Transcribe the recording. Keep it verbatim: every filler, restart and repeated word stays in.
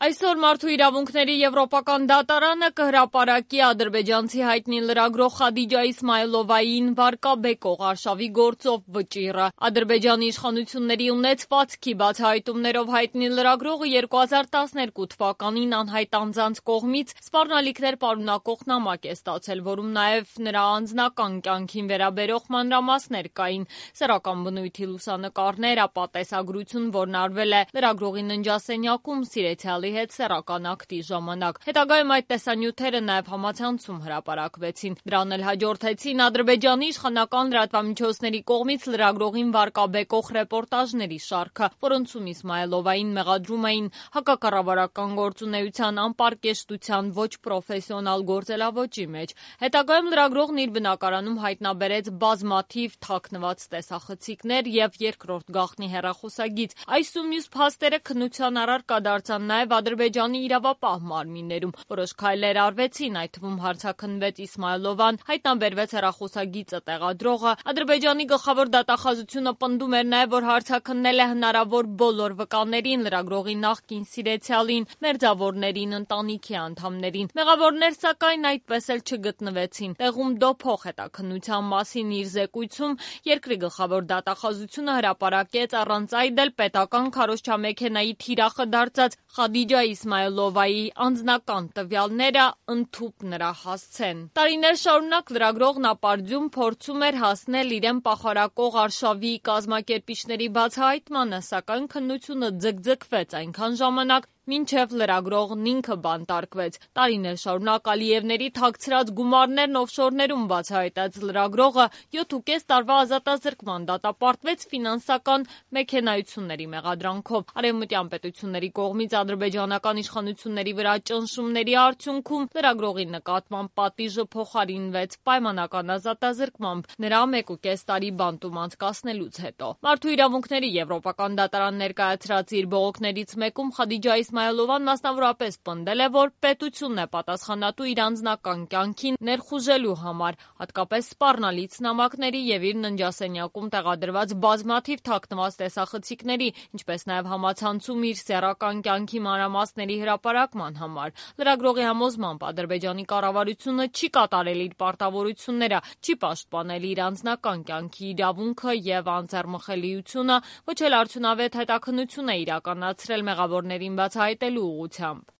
Այսօր Մարդու իրավունքների եվրոպական դատարանը կհրապարակի ադրբեջանցի հայտնի լրագրող Խադիջա Իսմայլովային վարկաբեկող արշավի գործով վճիռը։ Ադրբեջանի իշխանությունների ունեցվածքի բացահայտումներով հայտնի լրագրողը երկու հազար տասներկու թվականին անհայտ անձանց կողմից սպառնալիքներ պարունակող նամակ է ստացել, որում նաև նրա անձնական կյանքին վերաբերող մանրամասներ կային՝ սեռական բնույթի լուսանկարներ, ապա տեսագրություն, որն արվել է լրագրողի ննջասենյակում սիրեցյալի հետ սեռական ակտի ժամանակ։ Հետագայում այդ տեսանյութերը նաև համացանցում հրապարակվեցին։ Դրան էլ հաջորդեցին Ադրբեջանի իշխանական լրատվամիջոցների կողմից լրագրողին վարկաբեկող ռեպորտաժների շարքը, որոնցում Իսմայլովային մեղադրում էին հակակառավարական գործունեության, անպարկեշտության, ոչ պրոֆեսիոնալ գործելավոճի մեջ։ Հետագայում լրագրողն իր բնակարանում հայտնաբերեց բազմաթիվ թաքնված տեսախցիկներ և երկրորդ գաղտնի հեռախոսագիծ։ Այս ու մյուս փաստերը քննության առարկա դարձան նաև Ադրբեջանի իրավապահ մարմիններում։ Որոշ քայլեր արվեցին, այդ թվում հարցաքննվեց Իսմայլովան, հայտնաբերվեց հեռախոսագիծը տեղադրողը։ Ադրբեջանի գլխավոր դատախազությունը պնդում էր նաև, որ հարցաքննել է հնարավոր բոլոր վկաներին, լրագրողի նախկին սիրեցյալին, մերձավորներին, ընտանիքի անդամներին։ Մեղավորներ, սակայն, այդպես էլ չգտնվեցին։ Տեղում դոփող հետաքննության մասին իր զեկույցում երկրի գլխավոր դատախազությունը հրապարակեց առանց այդ էլ պետական քարոզչամեքենայի թիրախը դարձած Խադիջա Իսմայլովայի անձնական տվյալները ընդհուպ նրա հասցեն։ Տարիներ շարունակ լրագրողն ապարդյուն փորձում էր հասնել իրեն պախարակող արշավի կազմակերպիչների բացահայտմանը, սակայն քննությունը ձգձգվեց այնքան ժամանակ, մինչև լրագրողն ինքը բանտարկվեց։ Տարիներ շարունակ Ալիևների թաքցրած գումարներն օֆշորներում բացահայտած լրագրողը յոթ ու կես տարվա ազատազրկման դատապարտվեց ֆինանսական մեքենայությունների մեղադրանքով։ Արևմտյան պետությունների կողմից ադրբեջանական իշխանությունների վրա ճնշումների արդյունքում լրագրողի նկատմամբ պատիժը փոխարինվեց պայմանական ազատազրկմամբ նրա մեկ ու կես տարի բանտում անցկացնելուց հետո։ Մարդու իրավունքների եվրոպական դատարան ներկայացրած իր բողոքներից մեկում Խադիջա Իսմայլովան մասնավորապես պնդել է, որ պետությունն է պատասխանատու իր անձնական կյանքին ներխուժելու համար, հատկապես սպառնալից նամակների և իր ննջասենյակում տեղադրված բազմաթիվ թաքնված տեսախցիկների, ինչպես նաև համացանցում իր սեռական կյանքի մանրամասների հրապարակման համար։ Լրագրողի համոզմամբ Ադրբեջանի կառավարությունը չի կատարել իր պարտավորությունները, չի պաշտպանել իր անձնական կյանքի իրավունքը և անձեռմխելիությունը, ոչ էլ արդյունավետ հետաքննություն է իրականացրել մեղավորներին բացահայտելու ուղղությամբ։